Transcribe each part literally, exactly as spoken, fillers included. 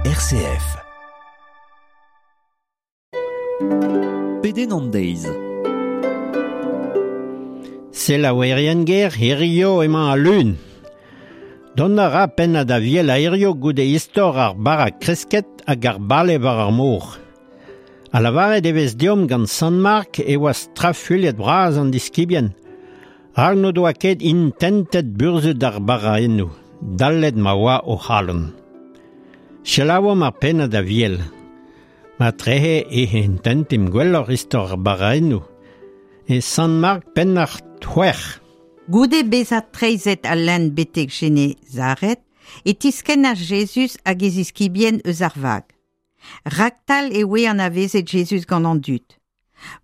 R C F. Pedenn an deiz. Selaouerien ger, hirio emañ al lun. Dont a ra pennad Aviel a hirio goude istor ar bara kresket hag ar bale war ar mor. A lavaret e vez deomp gant Sant Mark e oa strafuilhet bras an diskibien. Rak n'o doa ket intentet burzhud ar baraennoù, dallet ma oa o c'halon. Selaouomp ar pennad Aviel. Ma trehe e intentimp gwelloc'h istor ar baraennoù. E Sant Mark penn ar c'hwec'h. Goude bezañ treizhet al lenn betek Jenezaret, e tiskennas Jezuz hag e ziskibien eus ar vag. Raktal e oe anavezet Jezuz gant an dud.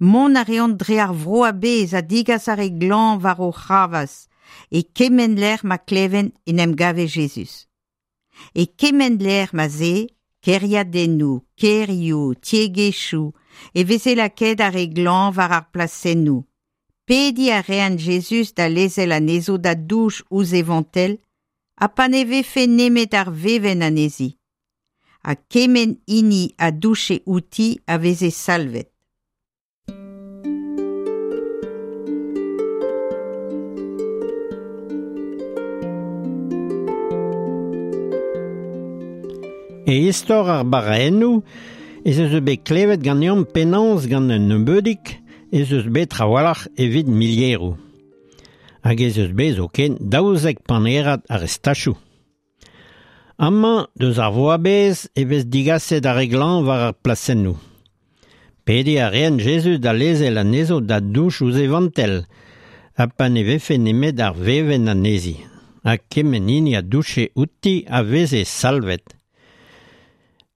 Mont a reont dre ar vro a-bezh ha digas ar re glañv war o c'hravazh, e kement lec'h ma klevent en em gave Jezuz. E kement lec'h ma 'z ae, kêriadennoù, kêrioù, tiegezhioù, e veze lakaet ar re glañv war ar plasennoù. Pediñ a reent Jezuz da lezel anezho da douch ouzh e vantell, ha pa ne vefe nemet ar vevenn anezhi. Ha kement hini a douche outi a veze salvet. E istor ar baraennoù ez eus bet klevet ganeomp penaos gant un nebeudig ez eus bet trawalc'h evit milieroù. Hag ez eus bet zoken daouzek panerad ar restachoù. Amañ, deus ar vro a-bezh e vez digaset ar re glañv war ar plasennoù. Pediñ a reent Jezuz da lezel anezho da douch ouzh e vantell, ha pa ne vefe nemet ar vevenn anezhi. Ha kement hini a douche outi a veze salvet.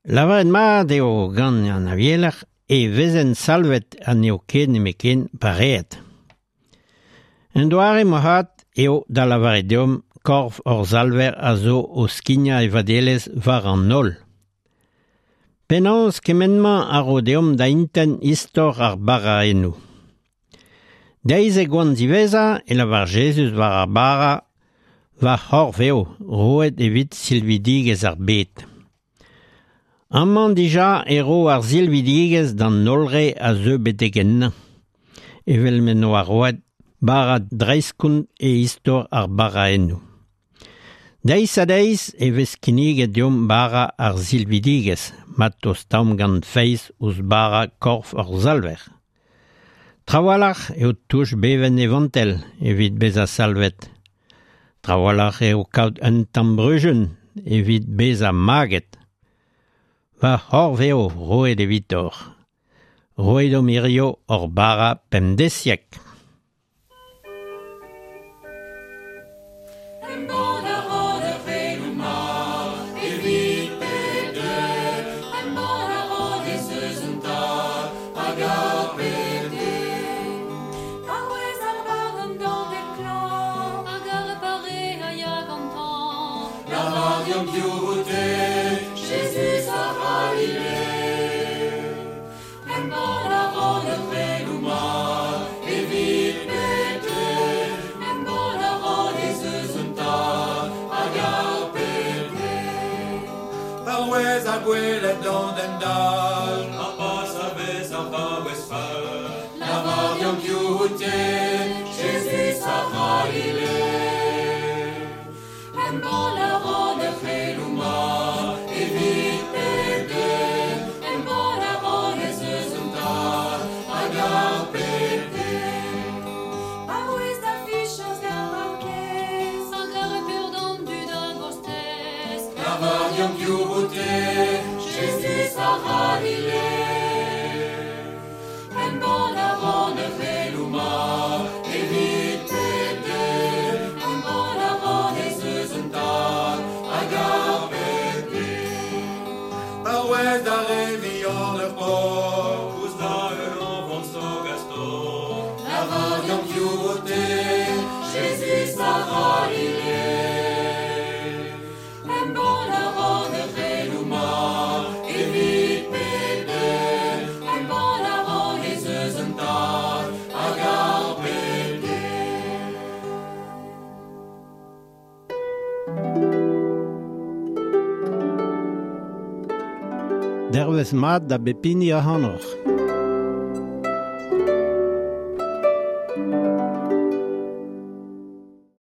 Lavaret mat eo gant an Avieler e vezent salvet ha n'eo ket nemetken pareet. Un doare moarvat eo da lavaret deomp korf hor Salver a zo o skignañ e vadelezh war an holl. Penaos kement-mañ a ro deomp da intent istor ar baraennoù. Deiz e goan diwezhañ e lavar Jezuz war ar bara, va c'horf eo, roet evit silvidigezh ar bed. Amañ dija e ro ar silvidigezh d'an holl re a zeu betek ennañ. Evel m'en doa roet bara dreistkont e istor ar baraennoù. Deiz ha deiz e vez kinniget deomp bara ar silvidigezh, ma tostaomp gant feiz ouzh bara korf hor Salver. Trawalc'h eo touch bevenn e vantell evit bezañ salvet. Trawalc'h eo kaout un tamm bruzun evit bezañ maget. Va c'horf eo roet evitoc'h. Roit deomp hirio hor bara pemdeziek. Embann a ran ar c'heloù mat evit pep den. Embann a ran ez eus un Tad hag a bep den. Paouez ar barn d'an klañv hag ar pare a ya gantañ. Lavar deomp piv out-te, Jezuz a C'halile. Embann a ran ar c'heloù mat evit pep den. Embann a ran ez eus un Tad hag a bep den. Paouez ar gwelet d'an den dall, ar pas a vez ar vaouez fall. Lavar deomp piv out-te, Jezuz a C'halile. Embann a ran ar c'heloù mat evit pep den. Embann a ran ez eus un Tad hag a bep den. Paouez da fichañs d'ar paourkaezh hag ar peur d'an dud a gostez. Lavar deomp piv out-te, Jezuz a C'halile. Embann a ran ar c'heloù mat evit pep den. Embann a ran ez eus un Tad hag a bep den. Paouez da re vihan ur paotr, ouzh da heul an vant Gaston. Lavar deomp piv out-te, Jezuz a C'halile. Embann a ran ar c'heloù mat evit pep den. Embann a ran ez eus un Tad hag a bep den. Dervez mat da bep hini ac'hanoc'h.